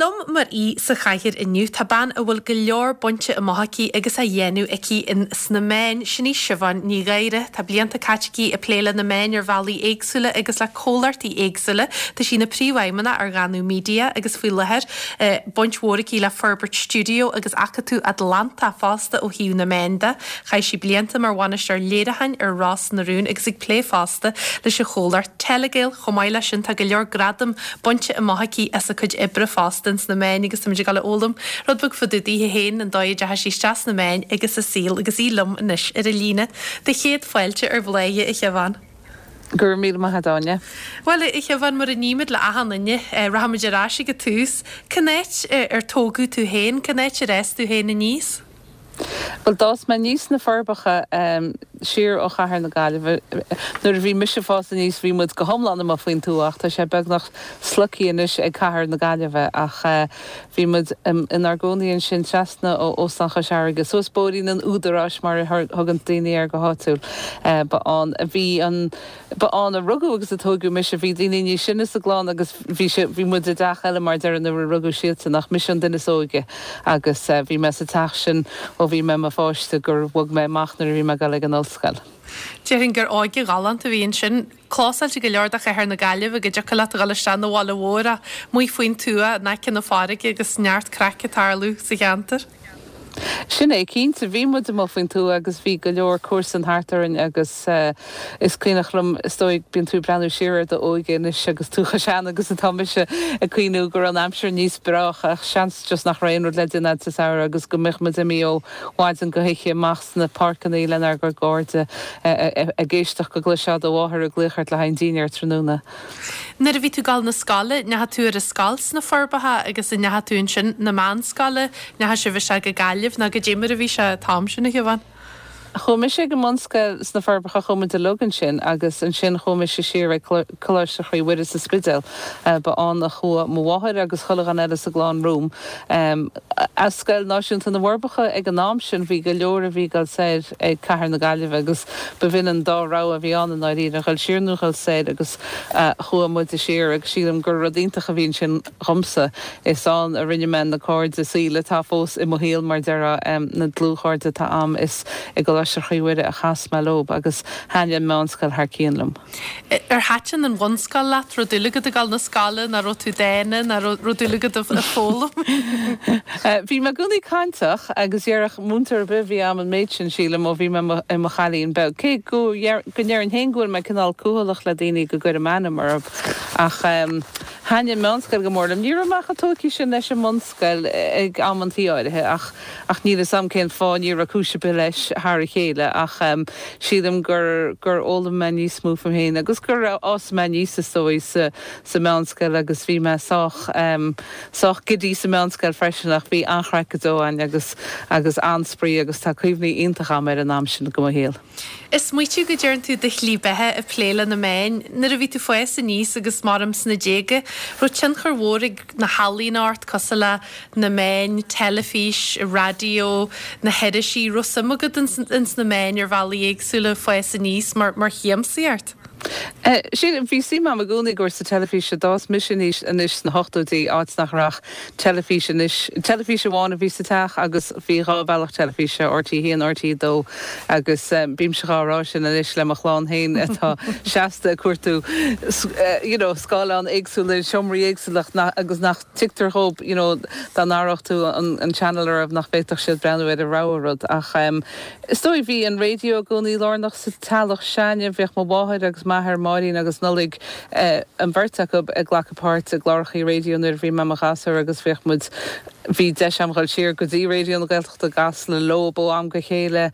liom mar aoi sa chathaoir inniu tá bean a bhfuil go leor bainte amach aici agus á dhéanamh aici in sna meáin, sin í Siobhán Ní Ghadhra. Tá blianta caite aici ag plé le na meáin ar bhealaí éagsúla agus le comhlachtaí éagsúla. Tá sí ina príomhfheidhmeannach ar Dhanú Media agus faoi láthair baint mhór aici le forbairt stiúideo agus Acadamh Atlantach fosta ó thaobh na meán de. Chaith sí blianta mar bhainisteoir léiriúcháin ar Ros na Rún agus ag plé fosta leis an chomhlacht Telegael. Chomh maith leis sin tá go leor gradam bainte amach aici as a cuid oibre fosta ins na meáin agus táimid ag dul a fhoghlaim rud beag fá dtaobh daoithe féin, an dóigh a dteachaigh sí isteach sna meáin agus a saol agus í liom anois ar an líne. Do chéad fáilte ar Bhláthnaid, a Shiobhán. Go raibh míle maith agat, Áine. Bhuel, a Shiobhán, mar a nímid le achan duine, rachaimid ar ais ag an tús. Cén áit ar tógadh tú féin? Cén áit ar fhás tú féin aníos? Bhuel, d'fhás mé aníos sna Forbacha, siar ó chathair na Gaillimhe. Nuair a bhí mise ag fás aníos bhí muid go hiomlán amuigh faoin tuath ach tá sé beagnach sloicthe anois ag cathair na Gaillimhe. Ach bhí muid inár gcónaí ansin trasna ó Óstán Chois Fharraige, suas bóithrín an Údaráis mar a thugann daoine air go háitiúil. Ba ann a bhí an. Ba ann a rugadh agus a tóigeadh mise. Bhí daoine níos sine sa gclann agus bhí sé, bhí muid i dteach eile mar déarfá nuair a rugadh siadsan ach mise an duine is óige agus bhí mé sa teach sin ó bhí mé i mo pháiste gur bhog mé amach nuair a bhí mé ag dul ag an ollscoil. Déarfainn gur óige ghalánta a bhí ansin. Clósáilte go leor do chathair na Gaillimhe go dtiocfadh leat a dhul isteach 'na bhaile mhór ach amuigh faoin tuath in aice na farraige agus neart craic ag tarlú sa cheantar. Sin é, cinnte. Bhí muid amuigh faoin tuath agus bhí go leor comharsan thart orainn agus is cuimhneach liom, is dóigh, bíonn tú ag breathnú siar ar d'óige anois agus tú chomh sean agus atá mise, ag cuimhniú go raibh an aimsir níos breácha ach seans just nach raibh aon rud le déanamh sa samhradh agus go mbeadh muid imithe ó mhaidin go hoíche amach sna páirceanna lenár gcuid cairde ag éisteacht go gcloisfeá do mháthair ag glaoch ort le haghaidh an dinnéir tráthnóna. Nuair a bhí tú ag dul 'na scoile, ndeachaigh tú ar an scoil sna Forbacha agus an ndeachaigh tú ansin 'na meánscoile, ndeachaigh sibh isteach go Gaillimh nó goidé mar a bhí sé an t-am sin, a Shiobhán? Chuaigh mise ag an mbunscoil sna Forbacha, chuaigh muid uilig ansin agus ansin chuaigh mise siar ag Coláiste Chroí Mhuire sa Spidéal. Ba ann a chuaigh mo mháthair agus chuile dhuine eile sa gclann romham. As Scoil Náisiúnta na bhForbacha ag an am sin bhí go leor a bhí ag dul soir ag Cathair na Gaillimhe agus b'in an dá rogha a bhí ann i ndáiríre, a dhul siar nó a dhul soir agus chuaigh muide siar agus sílim gur rud iontach a bhí ansin dhomsa. Is ann a rinne mé na cairde saoil atá fós i mo shaol mar déarfá, na dlúthchairde atá a'm, is i gColáiste Chroí Mhuire a chas mé leob agus thaitnigh an meánscoil thar cionn liom. Ar thaitin an bhunscoil leat? Raibh dúil agat ag dul 'na scoile? Ná raibh tú dána? Ná raibh dúil agat ag foghlaim? Bhí mé i gcónaí cainteach agus dhéarfadh múinteoir ar bith a bhí a'm an méid sin, sílim, ó bhí mé i mo chailín beag. Cé go ndéarfainn féin go bhfuil mé cineál cúthaileach le daoine go gcuirim ainm orthu. Ach thaitnigh an mheánscoil go mór liom. Ní raibh mé chomh tógtha sin leis an mbunscoil ag amantaí áirithe ach ach níl 'fhios a'm cén fáth, ní raibh cúis ar bith leis thar a chéile ach sílim gur gur fhoghlaim mé níos mó fúm féin agus gur fhás mé aníos is dóigh sa sa meánscoil agus bhí mé sách sách giddy sa meánscoil freisin ach bhí an-chraic go deo againn agus agus an-spraoi agus tá cuimhní iontach a'm ar an am sin de mo shaol. Ag smaoitiú go deireann tú do shlí beatha ag plé le na meáin. Nuair a bhí tú fás aníos agus maram sna déaga, raibh tionchar mhór ag na healaíona ort cosúil le na meáin, teilifís, raidió, na hirisí, raibh suim agat ins na meáin ar bhealaí éagsúla fás aníos mar mar shiamsaíocht? Sílim, bhí suim agam i gcónaí i gcúrsaí teilifíse. D'fhás mise aníos anois sna hochtóidí, áit nach raibh ach teilifís anois. Teilifís amháin a bhí sa teach agus bhí dhá bhealach teilifíse, RTÉ 1, RTÉ 2 agus bímse dhá rá sin anois le mo chlann féin atá seasta ag cuartú you know scáileáin éagsúla i seomraí éagsúla agus nach tuigtear dhóibh you know dá n-athródh tú an channel orthu nach bhféadfadh siad breathnú ar a rogha rud ach Is dóigh, bhí an raidió i gcónaí lárnach sa teaghlach s'againne. Bhíodh mo mháthair agus m'athair, Máirín agus Nollaig, an bheirt acu ag glacadh páirt i gclárachaí raidió nuair a bhí mé i mo ghasúr agus bhíodh muid, bhí deis agam dhul siar go dtí Raidió na Gaeltachta i gCasla leob ó am go chéile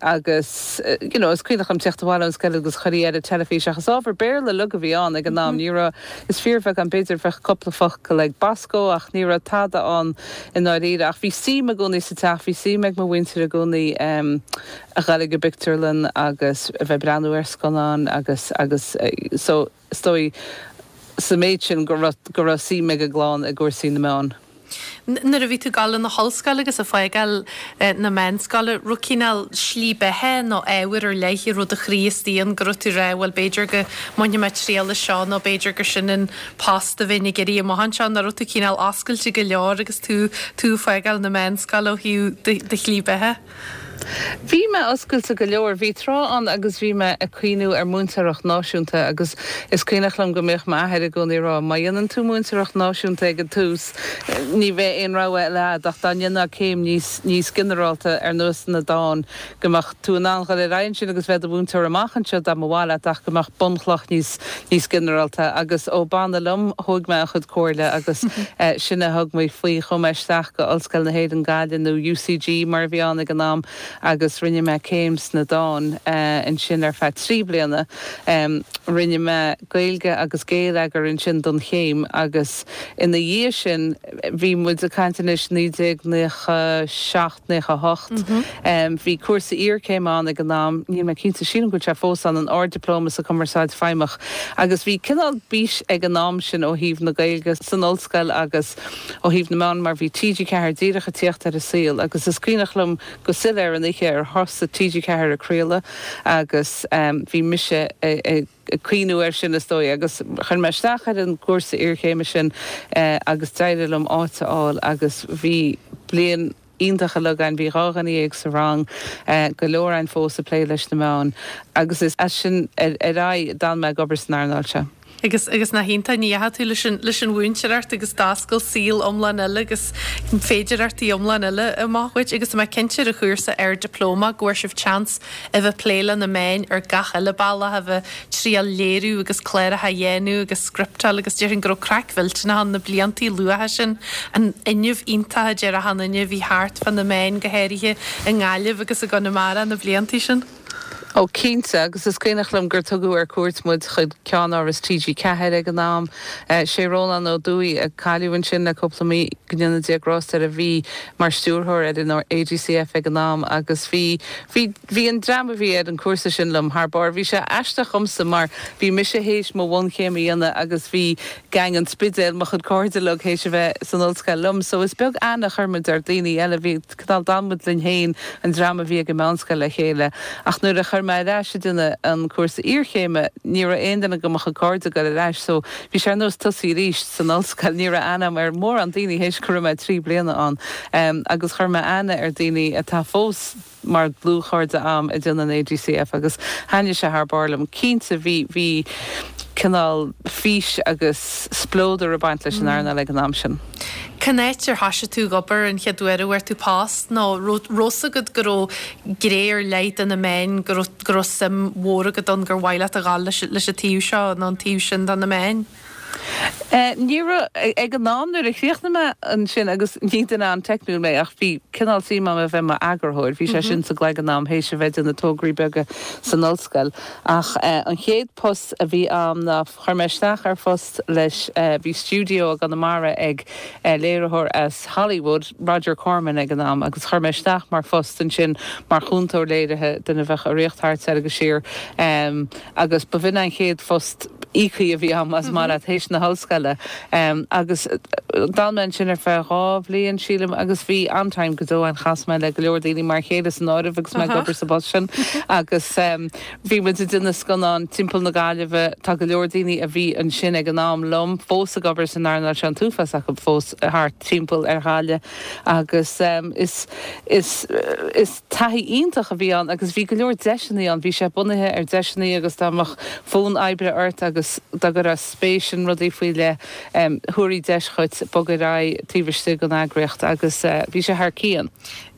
agus you know is cuimhneach liom tíocht abhaile ón scoil agus chuirtí air an teilifís ach is ábhar Béarla uilig a bhí ann ag an am. Ní raibh, is fíorbheagán, b'fhéidir bheadh cúpla focal ag Bosco ach ní raibh tada ann i ndáiríre. Ach bhí suim i gcónaí sa teach, bhí suim ag mo mhuintir i gcónaí a ghoil ag an bpictiúrlann agus a bheith ag breathnú ar scannáin agus, agus so is dóigh sa méid sin go raibh, go raibh suim ag an gclann i gcúrsaí na meán. Nuair a bhí tú ag dul chun na hollscoile agus ag fágáil na meánscoile, raibh cineál slí beatha nó ábhar ar leith a raibh do chroí istigh ann go raibh tú ag rá bhuel b'fhéidir go mbainfidh mé triail as seo nó b'fhéidir gur sin an post a bheinn ag iarraidh amach anseo, nó raibh tú cineál oscailte go leor agus tú tú ag fágáil na meánscoile ó thaobh do shlí beatha? Bhí mé oscailte go leor. Bhí tráth ann agus bhí mé ag cuimhniú ar múinteoireacht náisiúnta agus is cuimhneach liom go mbíodh m'athair i gcónaí ag rá, má dhéanann tú múinteoireacht náisiúnta ag an tús, ní bheidh aon rogha eile agat ach dá ndéanfá céim níos, níos ginearálta ar nós na dán, go mbeadh tú in ann dhul ar aghaidh ansin agus bheith i do mhúinteoir amach anseo dá mba mhaith leat ach go mbeadh bunchloch níos, níos ginearálta agus ó b'annamh liom, thóg mé a chuid comhairle agus sin a thug mé faoi. Chuaigh mé isteach go Ollscoil na hÉireann Gaillimh nó UCG mar a bhí ann ag an am agus rinne mé céim sna dáin ansin ar feadh 3 bliana. Rinne mé Gaeilge agus Géilleagar ansin don chéim agus ina dhiaidh sin bhí muid ag caint anois 1997, 98. Bhí cúrsa iarchéime ann ag an am, níl mé cinnte, sílim go bhfuil sé fós ann, an Ard-Dioplóma sa Chumarsáid Feidhmeach agus bhí cineál bís ag an am sin ó thaobh na Gaeilge san ollscoil agus ó thaobh na meán mar bhí TG4 díreach ag tíocht ar an saol agus is cuimhneach liom go soiléir an oíche ar thosaigh TG4 ag craoladh agus bhí mise ag ag cuimhniú air sin is dóigh agus chuir mé isteach ar an gcúrsa iarchéime sin agus d'éirigh liom áit a fháil agus bhí bliain iontach uilig againn, bhí 12 dhuine sa rang, go leor againn fós ag plé leis na meáin agus is as sin ar aghaidh d'fhan mé ag obair san earnáil seo. Agus, agus nach iontach, ní dheachaigh tú leis an, leis an mhúinteoireacht agus d'oscail saol iomlán eile agus féidearthachtaí iomlán eile amach dhuit agus tá mé cinnte ar an chúrsa Ard-Dioplóma go bhfuair sibh chance a bheith plé le na meáin ar gach uile bealach, a bheith triail léiriú agus cláracha a dhéanamh agus scripteáil agus déarfainn go raibh craic mhillteanach ann na bliantaí luatha sin, an fhuinneamh iontach a deir achan duine a bhí thart fá na meáin go háirithe i nGaillimh agus i gConamara na bliantaí sin. Ó cinnte, agus is cuimhneach liom gur tugadh ar cuairt muid chuig ceannáras TG4 ag an am. Sé Rónán Ó Dubhthaigh, a cailleadh ansin le cúpla mí, go ndéana Dia grást air, a bhí mar stiúrthóir ar an ADCF ag an am agus bhí, bhí, Bhí an dream a bhí ar an cúrsa sin liom thar barr. Bhí sé aisteach dhomsa mar bhí mise théis mo bhunchéim a dhéanamh agus bhí gang an Spidéil, mo chuid cairde uilig, théis a bheith san ollscoil liom. So is beag aithne a chuir muid ar daoine eile. Bhí, cineál, d'fhan muid linn féin, an dream a bhí ag an meánscoil le chéile. Ach nuair a chuir mé ar ais ag déanamh an cúrsa iarchéime, ní raibh aon duine de mo chuid cairde ag dul ar ais. So bhí sé ar nós tosaí arís san ollscoil. Ní raibh aithne agam ar mhórán daoine théis go raibh mé 3 bliana ann. Agus chuir mé aithne ar daoine atá fós mar dlúthchairde a'm ag déanamh an ADCF agus thaitnigh sé thar barr liom. Cinnte bhí, bhí cineál fís agus spleodar ag baint leis an earnáil ag an am sin. Cén áit ar thoisigh tú ag obair an chéad uair a bhfuair tú post nó raibh 'fhios agat go raibh gné ar leith de na meáin, go raibh, go raibh suim mhór agat ann gur mhaith leat a dhul leis, leis an taobh seo nó an taobh sin de na meáin? Ní raibh, ag an am nuair a chríochnaigh mé ansin, agus ní duine an-teicniúil mé ach bhí cineál suim agam a bheith i m'eagarthóir, bhí sé sin sa gcloigeann agam théis a bheith ag déanamh tograí beaga san ollscoil. Ach an chéad post a bhí agam ná chuir mé isteach ar phost leis, bhí stiúideo i gConamara ag léiritheoir as Hollywood, Roger Corman ag an am, agus chuir mé isteach mar phost ansin mar chúntóir léirithe, duine a bheadh ag rith thart soir agus siar. Agus ba bh'in an chéad phost íoctha a bhí agam, más maith leat, théis na hollscoile. Agus d'fhan mé ansin ar feadh 2 bhliain, sílim, agus bhí an-time go deo ann. Chas mé le go leor daoine, m'fhear céile san áireamh, agus mé ag obair sa bpost sin. Agus bhí muid ag déanamh scannán timpeall na Gaillimhe. Tá go leor daoine a bhí ansin ag an am liom fós ag obair san earnáil seo, an t-uafás acu fós thart timpeall ar Ghaillimh. Agus is, is, is. Taithí iontach a bhí ann agus bhí go leor deiseanna ann. Bhí sé bunaithe ar deiseanna agus dá mbeadh fonn oibre ort agus dá gcuirfeá spéis in rudaí faoi leith, thabharfaí deis dhuit bogadh ar aghaidh taobh istigh den eagraíocht agus bhí sé thar cionn.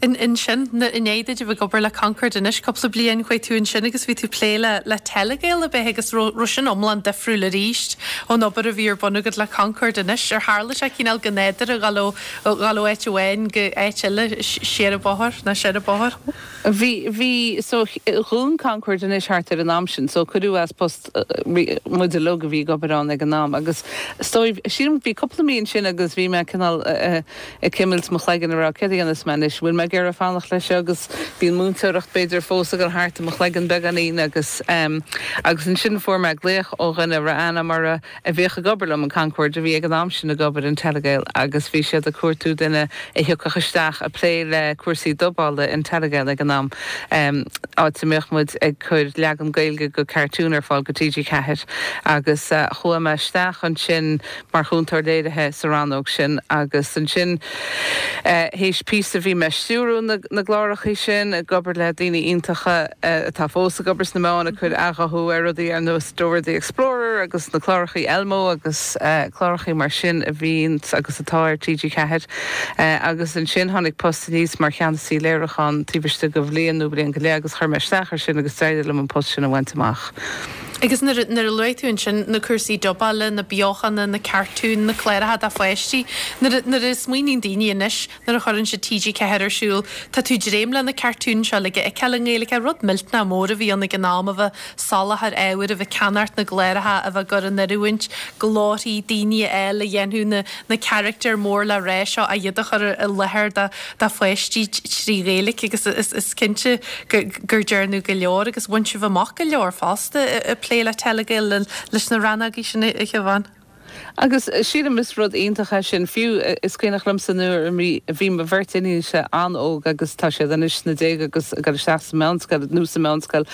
Ansin, i ndiaidh duit a bheith ag obair le Concorde anois cúpla bliain, chuaigh tú ansin agus bhí tú ag plé le le Telegael ab ea agus raibh raibh sin iomlán difriúil arís ón obair a bhí ar bun agat le Concorde anois. Ar tharla sé cineál go nádúrtha a dhul ó Dhul ó áit amháin go áit eile, siar an bóthar, nó soir an bóthar. Bhí, bhí, so dhún Concorde anois thart ar an am sin, so cuireadh as post muid. muid uilig a bhí ag obair ann ag an am agus is dóigh, sílim, bhí cúpla mí ansin agus bhí mé cineál ag cimilt mo chloigeann ag rá céard a dhéanfas mé anois, bhfuil mé ag iarraidh fanacht leis seo agus bhí an múinteoireacht b'fhéidir fós ag dul thart i mo chloigeann beagáinín agus agus ansin fuair mé glaoch ó dhuine a raibh aithne agam orthu a bhíodh ag obair liom in Concorde, a bhí ag an am sin ag obair in Telegael agus bhí siad ag cuartú duine a thiocfadh isteach ag plé le cúrsaí dubála in Telegael ag an am, áit a mbeadh muid ag cur leagan Gaeilge de cartoon ar fáil go TG4 agus chuaigh mé isteach ansin mar chúntóir léirithe sa rannóg sin agus ansin théis píosa bhí mé ag stiúrú na gclárachaí sin, ag obair le daoine iontacha atá fós ag obair sna meáin ag cur athghuthú ar rudaí ar nós Dora the Explorer agus na clárachaí Elmo agus clárachaí mar sin a bhíonn agus atá ar TG4 agus ansin tháinig post aníos mar cheannasaí léiriúcháin taobh istigh de bhliain nó bliain go leith agus chuir mé isteach ar sin agus d'éirigh liom an post sin a bhaint amach. Agus nuair a luaigh tú ansin na cúrsaí dubála, na beochana, na cartúin, na cláracha do pháistí, nuair a smaoiníonn daoine anois Nuair a chuireann siad TG4 ar siúl, tá tú dréim le na cartúin seo uilig a fheiceáil i nGaeilge. Rud millteanach mór a bhí ann ag an am, a bheith ag soláthar ábhair, a bheith ag ceannacht na gcláracha, a bheith ag cur in oiriúint, glórthaí, daoine a fháil a dhéanfadh na na carachtair mór le rá seo, a iad a chur i láthair do do pháistí trí Ghaeilge agus is is cinnte go gur dearnadh go leor agus bhain sibh amach go leor fosta ag plé le Telegael leis na rannógaí sin a Shiobhán. Agus sílim is rud iontach é sin. Fiú is cuimhneach liomsa nuair a bhí mo bheirt iníonsa an-óg agus tá siad anois sna déaga agus ag dul isteach sa mheánscoil nó sa mheánscoil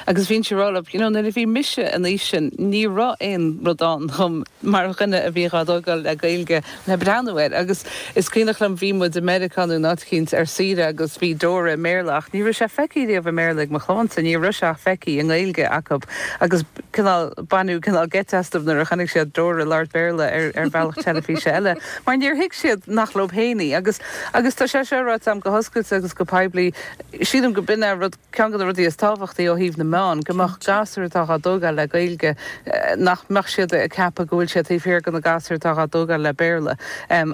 agus bhínnse ag rá leo, you know nuair a bhí mise an aois sin ní raibh aon rud ann dhom mar dhuine a bhí dhá dtógáil le Gaeilge le breathnú air. Agus is cuimhneach liom bhí muid i Meiriceá nó in áit eicínt ar saoire agus bhí Dora i mBéarla ach ní raibh sé feicthe riamh i mBéarla ag mo chlannsa, ní raibh sé ach feicthe i nGaeilge acu agus cineál, baineadh cineál geit astu nuair a chonaic siad Dora ag labhairt Béarla ar ar bhealach teilifíse eile mar níor thuig siad nach leo féin í. Agus agus tá sé seo ráite agam go hoscailte agus go poiblí, sílim go b'in é rud, ceann de na rudaí is tábhachtaí ó thaobh na meán, go mbeadh gasúir atá dhá dtógáil le Gaeilge, nach mbeadh siad ag ceapadh go bhfuil siad taobh thiar de na gasúir atá dhá dtógáil le Béarla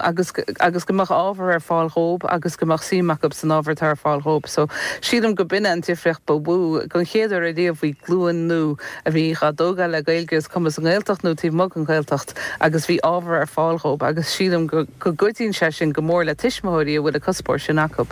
agus agus go mbeadh ábhar ar fáil dhóib agus go mbeadh suim acu san ábhar atá ar fáil dhóib. So sílim go b'in é an difríocht ba mhó. Don chéad uair ariamh bhí glúin nua a bhí dhá dtógáil le Gaeilge is cuma sa nGaeltacht nó taobh amuigh den Ghaeltacht agus bhí ábhar ar fáil dhóib agus sílim go go gcuidíonn sé sin go mór le tuismitheoirí a bhfuil an cuspóir sin acu.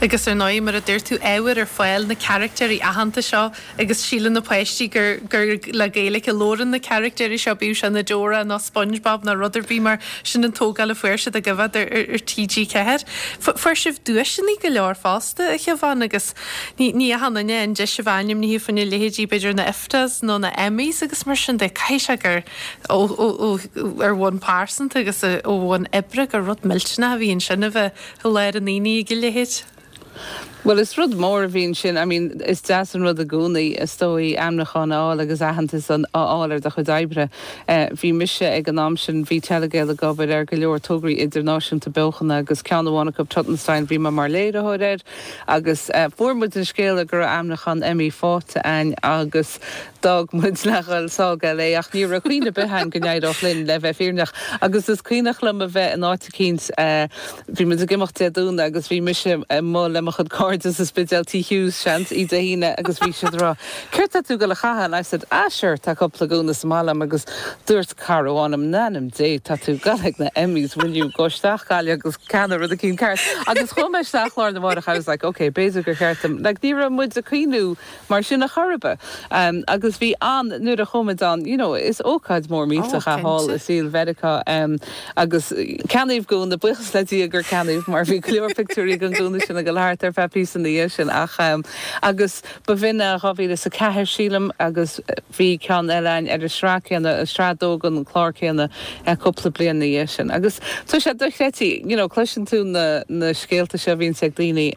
Agus ar ndóigh, mar a dúirt tú, ábhar ar fáil, na carachtéirí aitheanta seo agus síleann na páistí gur gur le Gaeilge a labhrann na carachtéirí seo, bíodh sé ina Dora nó SpongeBob nó rud ar bith mar sin an tógáil a fuair siad ag coimhéad ar ar TG4. Fuair sibh duaiseanna go leor fosta, a Shiobhán, agus ní ní achan duine an deis a bheith ainmnithe faoina leithéidí b'fhéidir na IFTAs nó na Emmys agus mar sin de. Caithfidh sé gur ó ó ó ar bhonn pearsanta agus ó bhonn oibre gur rud millteanach a bhí ansin a bheith I lár an aonaigh ag a leithéid. Bhuel, is rud mór a bhí ansin. I mean, is deas an rud i gcónaí, is dóigh, ainmniúchán a fháil agus aitheantas a fháil ar do chuid oibre. Bhí mise ag an am sin, bhí Telegael ag obair ar go leor tograí idirnáisiúnta beochana agus ceann amháin acu, Tutenstein, bhí mé mar léiritheoir air agus fuair muid an scéala go raibh ainmniúchán Emmy faighte againn agus d'fhág muid le dhul sall go LA ach ní raibh cuimhne ar bith againn go n-éireodh linn, le bheith fírinneach. Agus is cuimhneach liom a bheith in áit eicínt, bhí muid ag imeacht Dé Domhnaigh agus bhí mise amuigh le mo chuid cairde sa Spidéal, Tigh Hughes, seans, oíche Dé hAoine agus bhí siad ag rá, céard tá tú ag dul a chaitheamh? And I said, ah sure, tá cúpla gúna sa mbaile agam agus dúirt cara amháin liom, in ainm Dé, tá tú ag dul ag na Emmys, will you go isteach Gaillimh agus ceannaigh rud eicínt ceart. Agus chuaigh mé isteach lá arna mhárach, I was like, okay, b'fhéidir gur cheart dom, like ní raibh muid ag cuimhniú mar sin a chor ar bith. Agus bhí an, nuair a chuaigh muid ann, you know, is ócáid mhór millteach é thall i saol Mheiriceá agus ceannaíodh gúna, buíochas le Dia gur ceannaíodh mar bhí go leor pictiúirí den gúna sin ag dul thart ar feadh píosa ina dhiaidh sin ach agus ba bh'in é 2004 sílim agus bhí ceann eile againn ar an sraith céanna, sraith a dó den chlár céanna cúpla bliain ina dhiaidh sin. Agus tá sé dochreidte, you know, cloiseann tú na na scéalta seo a bhíonns ag daoine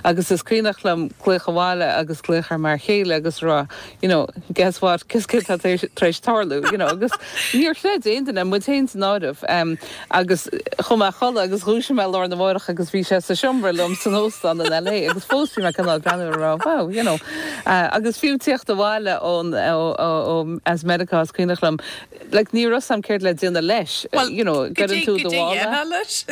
agus is cuimhneach liom glaoch abhaile agus glaoch ar m'fhear chéile agus rá, you know, guess what, guess céard atá tar éis tarlú, you know, agus níor chreid aon duine, muid féin san áireamh, agus chuaigh mé a chodladh agus dhúisigh mé lá arna mhárach agus bhí sé sa seomra liom san óstán in LA. LA agus fós bhí mé cineál ag breathnú air ag rá wow, you know. Agus fiú tíocht abhaile ón, ó, ó, as Meiriceá is cuimhneach liom, like ní raibh 'fhios a'm céard le déanamh leis, you know, gcuireann tú do mhála. leis?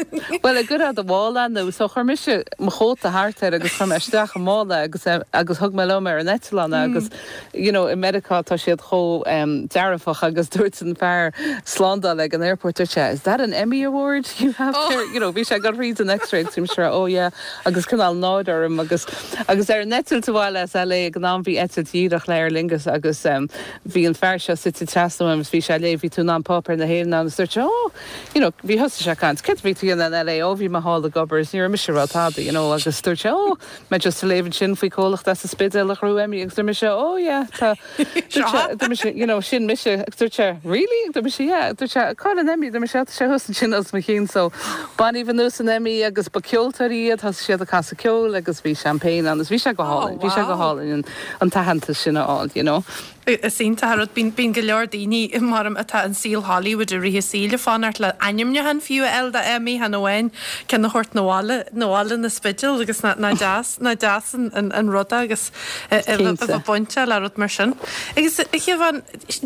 Bhuel, an gcuirfeá do mhála nó, so chuir mise mo chóta thart air agus chuir mé isteach i mála agus, agus thug mé liom ar an eitleán é agus, you know, i Meiriceá tá siad chomh dearfach agus dúirt an fear slándála ag an airport, dúirt sé, is that an Emmy award you have there? You know, bhí sé ag dul thríd an x-ray agus bhí mise ag rá, oh yeah, agus cineál náire orm agus, agus ar an eitilt abhaile as LA ag an am bhí eitilt dhíreach le Aer Lingus agus bhí an fear seo suite trasna uaim agus bhí sé ag léamh, bhí tú in ann páipéar na hÉireann ann agus dúirt sé, oh, you know, bhí thosaigh sé ag caint, céard a bhí tú a dhéanamh in LA, oh bhí mé thall ag obair agus ní raibh mise ag rá tada, you know, agus dúirt sé, oh, mé just ag léamh ansin faoi comhlacht as an Spidéal a ghnóthaigh Emmy agus dúirt mise, oh yeah, tá, dúirt sé, dúirt mise, you know, sin mise agus dúirt sé, really? Dúirt mise, yeah, dúirt sé, cá bhfuil an Emmy? Dúirt mise, tá sé thuas ansin os mo chionn, so baineadh anuas an Emmy agus ba ceoltóirí iad, thosaigh siad ag casadh ceoil agus bhí champagne ann agus bhí sé go hálainn, bhí sé go hálainn an, an t-aitheantas sin a fháil, you know. Is iontach an rud. Bíonn go leor daoine, mar atá in saol Hollywood i rith a saoil ag fanacht le ainmniúchán fiú a fháil do Emmy, chan amháin ceann a thabhairt 'na bhaile, 'na bhaile 'na Spidéal agus nach deas, nach deas an rud é agus a bheith bainteach le rud mar sin. Agus a Shiobhán,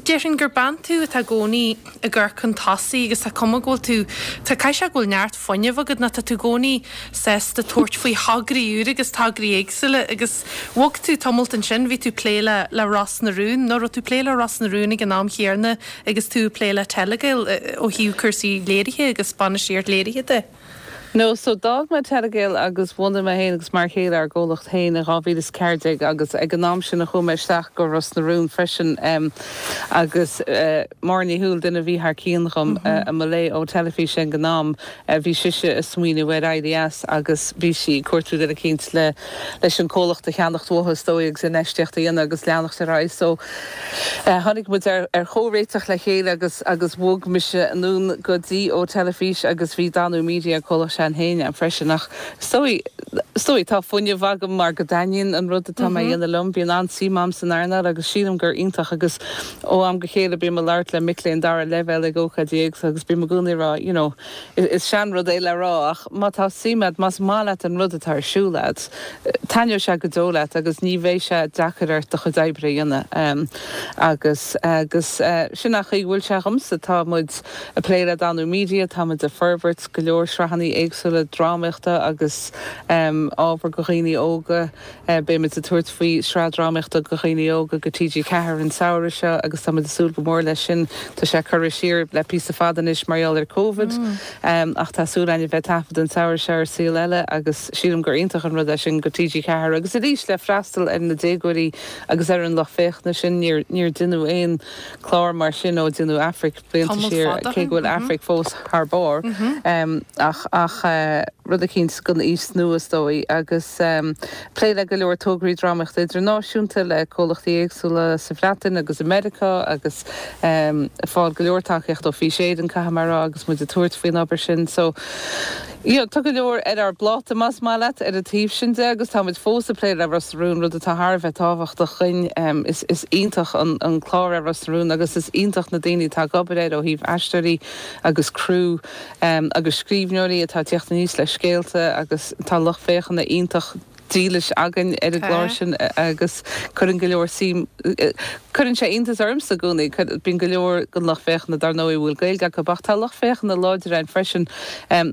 déarfainn gur bean tú atá i gcónaí ag amharc chun tosaigh agus tá cuma go bhfuil tú, tá, caithfidh sé go bhfuil neart fuinnimh agat nó tá tú i gcónaí sásta tabhairt faoi thograí úra agus tograí éagsúla agus bhog tú tamalt ansin, bhí tú ag plé le le Ros na Rún, nó raibh tú ag plé le Ros na Rún ag an am chéanna agus tú ag plé le Telegael ó thaobh cúrsaí léirithe agus bainistíocht léirithe de? No, so d'fhág mé Telegael agus bhunaigh mé féin agus m'fhear céile ár gcomhlacht féin in 2014 agus ag an am sin a chuaigh mé isteach go Ros na Rún freisin agus Máire Ní Shúill, duine a bhí thar cionn dhom i mo léith ó Teilifís ag an am, Bhí sise ag smaoineamh ar éirí as agus bhí sí ag cuartú duine eicínt le leis an comhlacht a cheannacht uaithi is dóigh agus infheistíocht a dhéanamh agus leanacht ar aghaidh. So tháinig muid ar ar chomhréiteach le chéile agus agus bhog mise anonn go dtí Ó Teilifís agus bhí Danú Media an comhlacht sin féin ann freisin ach is dóigh is dóigh tá fuinneamh agam mar go dtaitníonn an rud atá mé a dhéanamh liom. Bíonn an-suim agam san earnáil agus sílim gur iontach agus Ó am go chéile bím ag labhairt le mic léinn dara leibhéal ag ócáidí éagsúla agus bím i gcónaí ag rá, you know, is seanrud é le rá ach má tá suim agat, más maith leat an rud atá ar siúl agat, taitneoidh sé go deo leat agus ní bheidh sé deacair ort do chuid oibre a dhéanamh. Agus, agus sin an chaoi go bhfuil sé agamsa. Tá muid ag plé le Danú Media, tá muid ag forbairt go leor sraitheanna éagsúla drámaíochta agus ábhar go dhaoine óga. Beimid ag tabhairt faoi shraith drámaíochta do dhaoine óga go TG4 an samhradh seo agus táimid ag súil go mór leis sin. Tá sé curtha siar le píosa fada anois mar gheall ar Covid ach tá súil againn a bheith ag taifead an samhradh seo ar Saol Ella agus sílim gur iontach an rud é sin go TG4 agus arís le freastal ar na déagóirí agus ar an lucht féachana sin. Níor deineadh aon clár mar sin ó deineadh Aifric. blianta siar, cé go bhfuil Aifric fós thar barr, ach ach rud eicínt don aois nua is dóigh, agus plé le go leor tograí drámaíochta idirnáisiúnta le comhlachtaí éagsúla sa Bhreatain agus i Meiriceá agus ag fáil go leor tacaíocht ó Fís Éireann, caithfidh mé a rá, agus muid ag tabhairt faoin obair sin. So. You know, tá go leor ar ár bpláta, más maith leat, ar an taobh sin de agus tá muid fós ag plé le Ros na Rún, rud atá thar a bheith tábhachtach dhuinn. Is, is iontach an, an clár é Ros na Rún agus is iontach na daoine atá ag obair air ó thaobh aisteoirí agus criú agus scríbhneoirí atá ag tíocht aníos le scéalta agus tá lucht féachana iontach dílis againn ar an gclár sin agus cuireann go leor suim, cuireann sé iontas ormsa i gcónaí, bíonn go leor den lucht féachana dar ndóigh a bhfuil Gaeilge acu ach tá lucht féachana láidir ann freisin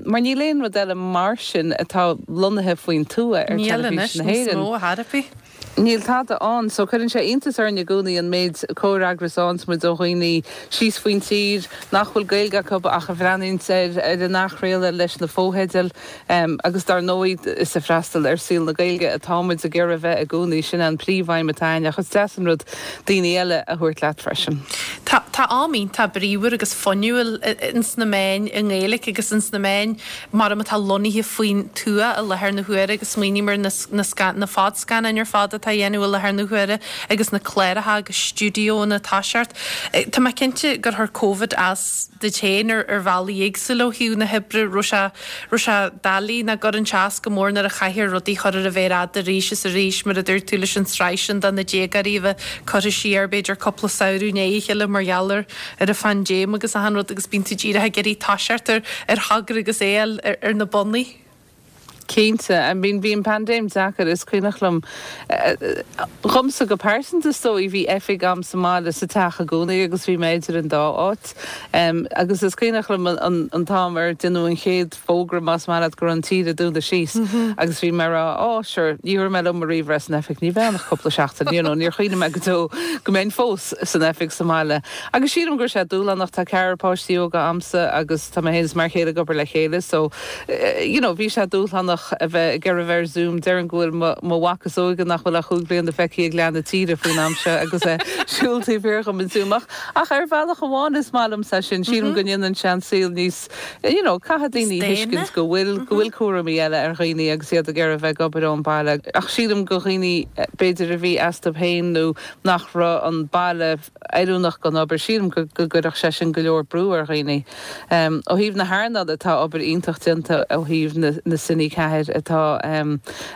mar níl aon rud eile mar sin atá lonnaithe faoin tuath ar Níl teilifís anois na níos hÉireann. mó ar chor ar bith. Níl tada ann so cuireann sé iontas orainn i gcónaí an méid comhfhreagras a fhaigheanns muid ó dhaoine síos faoin tír nach bhfuil Gaeilge acu ach a bhreathnaíonns ar ar an athchraoladh leis na fotheidil. Agus dar ndóigh, is ag freastal ar saol na Gaeilge atá muid ag iarraidh a bheith i gcónaí, sin é an príomhaidhm atá againn, ach is deas an rud daoine eile a thabhairt leat freisin. Tá tá am iontach bríomhar agus fuinniúil ins na meáin i nGaeilge agus ins na meáin mar atá lonnaithe faoin tuath i láthair na huaire agus smaoiním ar na na na fadscannáin ar fad atá á dhéanamh i láthair na huaire agus na cláracha agus stiúideónna ag toiseacht. Tá mé cinnte gur chuir Covid as duit féin ar ar bhealaí éagsúla ó thaobh na hoibre, raibh sé raibh sé doiligh nach gcuireann sé as go mór nuair a chaithfear rudaí a chur ar an mhéar fhada arís is arís, mar a dúirt tú leis an tsraith sin do na déagóirí a bheith curtha siar b'fhéidir cúpla samhradh i ndiaidh a chéile mar gheall ar ar an phaindéim agus achan rud agus bíonn tú díreach ag iarraidh toiseacht ar ar thogra agus é a fháil ar na bonnaí. Cinnte. I mean bhí an paindéim deacair, is cuimhneach liom, dhomsa go pearsanta is dóigh, bhí oifig a'm sa mbaile sa teach i gcónaí agus bhí mé idir an dá áit. Agus is cuimhneach liom an t-am ar deineadh an chéad fógra más maith leat go raibh an tír ag dúnadh síos agus bhí mé ag rá oh sure ní thabharfaidh mé liom mo ríomhaire as an oifig, ní bheidh ann ach cúpla seachtain, you know, níor chuimhnigh mé go deo go mbeinn fós san oifig sa mbaile. Agus sílim go raibh sé dúshlánach, tá ceathrar páistí óga a'msa agus tá mé féin is m'fhear céile ag obair le chéile so, you know, bhí sé dúshlánach a bheith ag iarraidh a bheith ar Zoom. Déarfainn go bhfuil mo, mo mhac is óige nach bhfuil ach chúig bliana feicthe ag leath na tíre faoin am seo agus é ag siúl taobh thiar dhom in Zoom. Ach, ach ar bhealach amháin is maith liomsa é sin. Sílim go ndéanann sé an saol níos, you know, caithfidh daoine a thuiscint go bhfuil, go bhfuil cúraimí eile ar dhaoine agus iad ag iarraidh a bheith ag obair ón baile. Ach sílim go dhaoine b'fhéidir a bhí astu féin nó nach raibh an baile, oiriúnach don obair. Sílim go gcuirfeadh sé sin go leor brú ar dhaoine. Ó thaobh na hearnála, tá obair iontach déanta ó thaobh na Cine 4 atá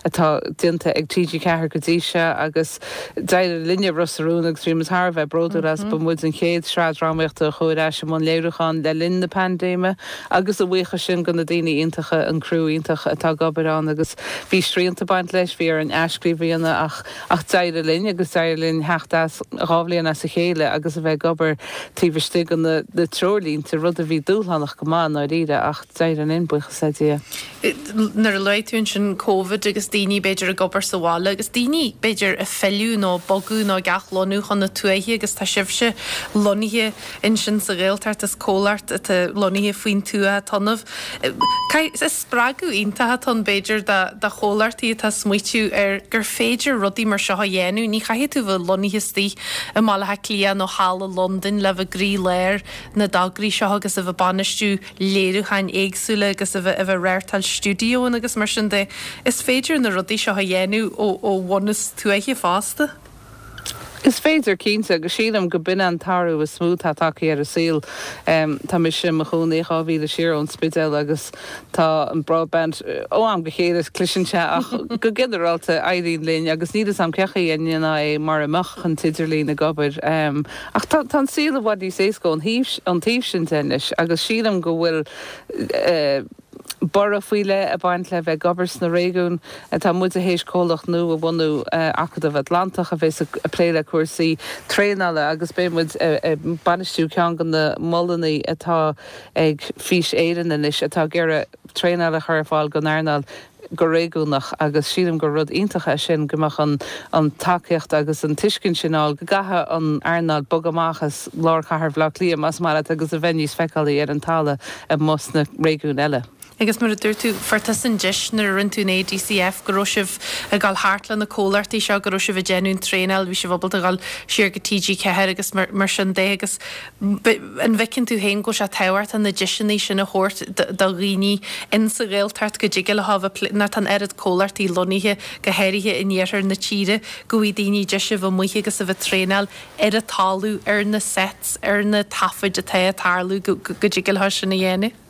atá déanta ag TG4 go dtí seo agus d'éirigh linne Ros na Rún agus bhí muid thar a bheith bródúil as. Ba muid an chéad sraith drámaíochta a chuaigh ar ais i mbun léiriúcháin le linn na paindéime agus a bhuíochas sin go na daoine iontacha, an criú iontach atá ag obair ann agus bhí srianta ag baint leis, bhí orainn athscríobh a dhéanamh ach Ach d'éirigh linn agus d'éirigh linn theacht as dhá bhliain as a chéile agus a bheith ag obair taobh istigh de na treoirlínte, rud a bhí dúshlánach go maith i ndáiríre ach d'éirigh linn, buíochas le Dia. Nuair a luaigh tú ansin Covid agus daoine b'fhéidir ag obair sa bhaile agus daoine b'fhéidir ag filleadh nó ag bogadh nó ag athlonnú chun na tuaithe agus tá sibhse lonnaithe ansin sa Ghaeltacht is comhlacht atá lonnaithe faoin tuath atá ionaibh. Is spreagadh iontach atá ann b'fhéidir do chomhlachtaí atá ag smaoitiú ar gur féidir rudaí mar seo a dhéanamh. Ní chaithfidh tú bheith lonnaithe istigh i mBaile Átha Cliath nó thall i Londain le bheith i gcroílár na dtograí seo agus a bheith ag bainistiú léiriúcháin éagsúla agus a bheith ag reáchtáil stiúidíónna agus mar sin de. Is féidir na rudaí seo a dhéanamh ó bhunús tuaithe fosta. Is féidir, cinnte, agus sílim go b'in an t-athrú is mó atá tagtha ar an saol. Tá mise i mo chónaí 2 mhíle siar ón Spidéal agus tá an broadband, ó am go chéile cliseann sé ach go ginearálta éiríonn linn agus níl 'fhios a'm cén chaoi a ndéanfá é mura mbeadh an t-idirlíon ag obair. Ach tá an saol i bhfad níos éasca ón taobh sin de anois agus sílim go bhfuil, borradh faoi leith ag baint le bheith ag obair sna réigiúin. Tá muide théis comhlacht nua a bhunú, Acadamh Atlantach, a bheas ag plé le cúrsaí traenála agus beidh muid ag bainistiú ceann de na molanna atá ag Fís Éireann anois atá ag iarraidh traenáil a chur ar fáil don earnáil go réigiúnach agus sílim gur rud iontach é sin go mbeadh an an tacaíocht agus an tuiscint sin ann go gcaithfidh an earnáil bogadh amach as lár chathair Bhaile Átha Cliath más maith leat agus a bheith níos feiceálaí ar an talamh amuigh sna réigiúin eile. Agus mar a dúirt tú, fuair tusa an deis nuair a rinne tú an ADCF go raibh sibh ag dul thart le na comhlachtaí seo, go raibh sibh ag déanamh an traenáil, bhí sibh ábalta dul siar go TG4 agus mar sin de agus An bhfeiceann tú féin go bhfuil sé tábhachtach na deiseanna sin a thabhairt do dhaoine in sa Ghaeltacht go dtig leo a bheith nuair atá an oiread comhlachtaí lonnaithe, go háirithe in iarthar na tíre, go bhfaighidh daoine deis a bheith amuigh agus a bheith ag traenáil ar an talamh, ar na sets, ar na taifid atá ag tarlú, go dtig leo sin a dhéanamh?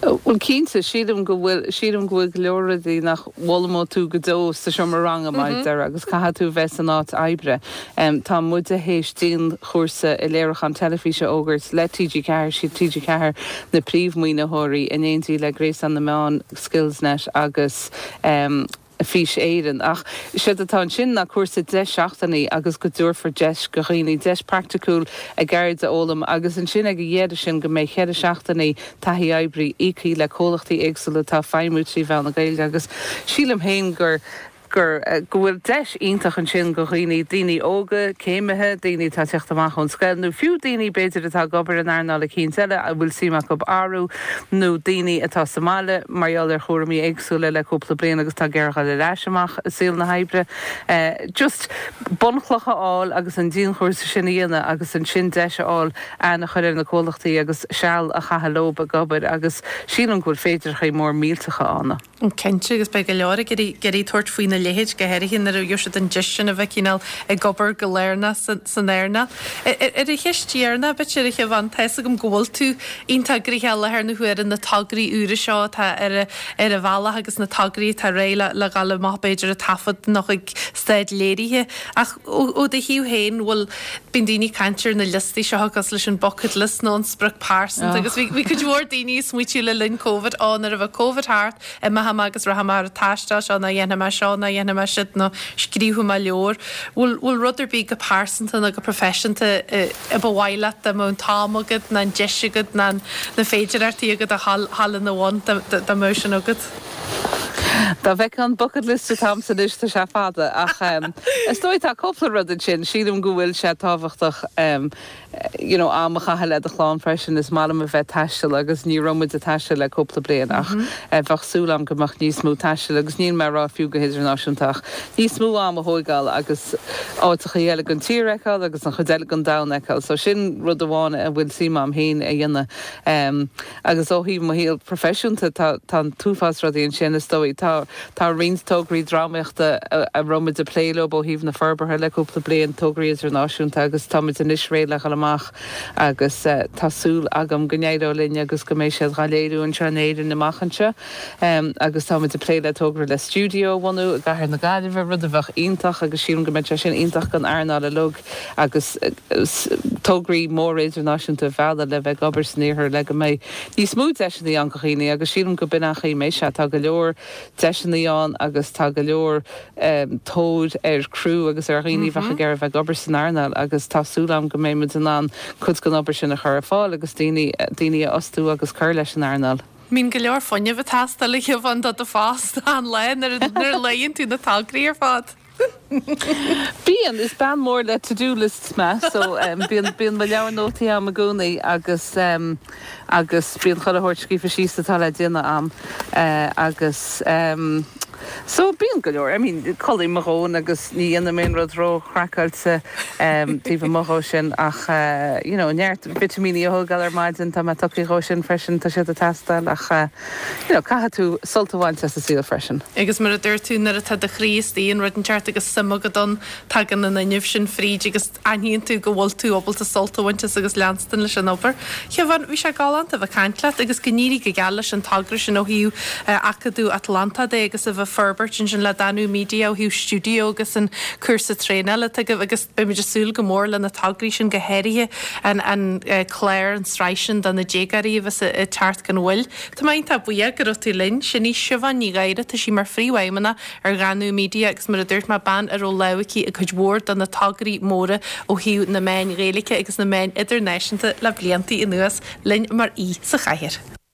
Bhuel, cinnte, sílim go bhfuil, sílim go bhfuil go leor rudaí nach bhfoghlaimeoidh tú go deo sa seomra ranga, mar a déarfá, agus caithfidh tú bheith san áit oibre. Tá muide théis dianchúrsa i léiriúchán teilifíse a fhógairt le TG4, siad TG4 na príomh-mhaoinitheoirí, in éindí le Gréasán na Meán, Skillsnet agus. Fís Éireann. Ach séard atá ansin ná cúrsa 10 seachtainí agus go dtabharfar deis go dhaoine, deis praiticiúil a gceird a fhoghlaim agus ansin ag a dheireadh sin go mbeidh cheithre seachtainí taithí oibre íoctha le comhlachtaí éagsúla atá ag feidhmiú trí mheán na Gaeilge agus sílim féin gur gur go bhfuil deis iontach ansin go dhaoine, daoine óga, céimithe, daoine atá ag teacht amach ón scoil nó fiú daoine b'fhéidir atá ag obair in earnáil eicínt eile a bhfuil suim acu athrú nó daoine atá sa mbaile mar gheall ar chúraimí éagsúla le cúpla bliain agus tá ag iarraidh dul ar ais amach i saol na hoibre. Just bunchloch a fháil agus an dianchúrsa sin a dhéanamh agus ansin deis a fháil aithne a chur ar na comhlachtaí agus seal a chaitheamh leob ag obair agus sílim go bhfuil féidearthaí mór millteacha ann. Cinnte, agus beidh go leor ag iarraidh tabhairt faoina. leithéid, go háirithe nuair a gheobhaidh siad an deis sin a bheith cineál ag obair go lárnach san earnáil. Ar an cheist dheireanach, b'fhéidir, a Shiobhán, tá fhios agam go bhfuil tú iontach gnoitheach i láthair na huaire, na tograí úra seo atá ar ar an bhealach agus na tograí atá réidh le dhul amach b'fhéidir ag taifead nó chuig staid léirithe. Ach ó do thaobh féin, bhfuil, bíonn daoine ag caint ar na liostaí seo cosúil leis an bucket list nó an sprioc pearsanta agus bhí cuid mhór daoine ag smaoitiú le linn Covid, ó nuair a bheidh Covid thart, imeoidh mé agus rachaidh mé ar an taisteal seo nó dhéanfaidh mé seo nó dhéanfaidh mé siúd nó scríobfaidh mé leabhar. Bhfuil, bhfuil rud ar bith go pearsanta nó go proifisiúnta a ba mhaith leat dá mbeadh an t-am agat nó an deis agat nó na féidearthachtaí agat a dhul ina bhun dá mbeadh sin agat? Dá bhfeicfeá an bucket list atá a'msa anois tá sé fada ach is dóigh tá cúpla rud ansin. Sílim go bhfuil sé tábhachtach you know am a chaitheamh le do chlann freisin. Is maith liom a bheith ag taisteal agus ní raibh muid ag taisteal le cúpla bliain ach bheadh súil agam go mbeadh níos mó taistil agus níl mé ag rá fiú go hidirnáisiúnta ach níos mó am a thóigeáil agus áiteachaí eile den tír a fheiceáil agus an chuid eile den domhan a fheiceáil. So sin rud amháin a bhfuil suim agam féin a dhéanamh. Agus ó thaobh mo shaol proifisiúnta, tá tá an t-uafás rudaí ansin is dóigh. Tá tá roinnt tograí drámaíochta a a raibh muid ag plé leo ó thaobh na forbartha le cúpla bliain, tograí idirnáisiúnta agus tá muid anois réidh le dhul amach agus tá súil agam go n-éireoidh linn agus go mbeidh siad dhá léiriú anseo in Éirinn amach anseo. Agus tá muid ag plé le togra le stiúideo a bhunú i gcathair na Gaillimhe, rud a bheadh iontach agus sílim go mbeadh sé sin iontach don earnáil uilig. agus tograí móra idirnáisiúnta a mhealladh le bheith ag obair san iarthar le go mbeidh níos mó deiseanna ann do dhaoine agus sílim go b'in an chaoi a mbeidh sé. Tá go leor deiseanna ann agus tá go leor tóir ar criú agus ar dhaoine a bheadh ag iarraidh a bheith ag obair san earnáil agus tá súil agam go mbeidh muid in ann cuid den obair sin a chur ar fáil agus daoine daoine a fhostú agus cur leis an earnáil. Bíonn go leor fuinnimh ag teastáil a Shiobhán do do phost achan lá nuair a léann tú na tograí ar fad. Bíonn, is bean mór le to do lists mé so bíonn, bíonn mo leabhar nótaí a'm i gcónaí agus agus bíonn chuile shórt scríofa síos atá le déanamh a'm agus so bíonn go leor, I mean codlaím mo dhóthain agus ní dhéanaim aon rud ró-chraiceáilte taobh amuigh dhó sin ach you know neart vitimíní a thógáil ar maidin, tá mé tugtha dhó sin freisin, tá siad ag teastáil ach you know, caithfidh tú sult a bhaint as an saol freisin. Agus mar a dúirt tú, nuair atá do chroí istigh in rud inteacht agus suim agat ann, tagann an fhuinneamh sin fríd agus aithníonn tú go bhfuil tú ábalta sult a bhaint as agus leanstan leis an obair. Shiobhán, bhí sé galánta a bheith ag caint leat agus go n-éirí go geal leis an togra sin ó thaobh Acadamh Atlantach de agus a bheith ag forbairt ansin le Danú Media ó thaobh stiúideo agus an cúrsa traenála atá agaibh agus beimid ag súil go mór le na tograí sin go háirithe an an clár, an tsraith sin do na déagóirí a bheas ag teacht gan mhoill. Tá mé iontach buíoch go raibh tú linn. Sin í Siobhán Ní Ghadhra, tá sí mar phríomhfheidhmeannach ar Dhanú Media agus mar a dúirt mé, bean a raibh lámh aici i gcuid mhór de na tograí móra ó thaobh na meáin Ghaeilge agus na meáin idirnáisiúnta le blianta anuas, linn mar aoi sa chathaoir.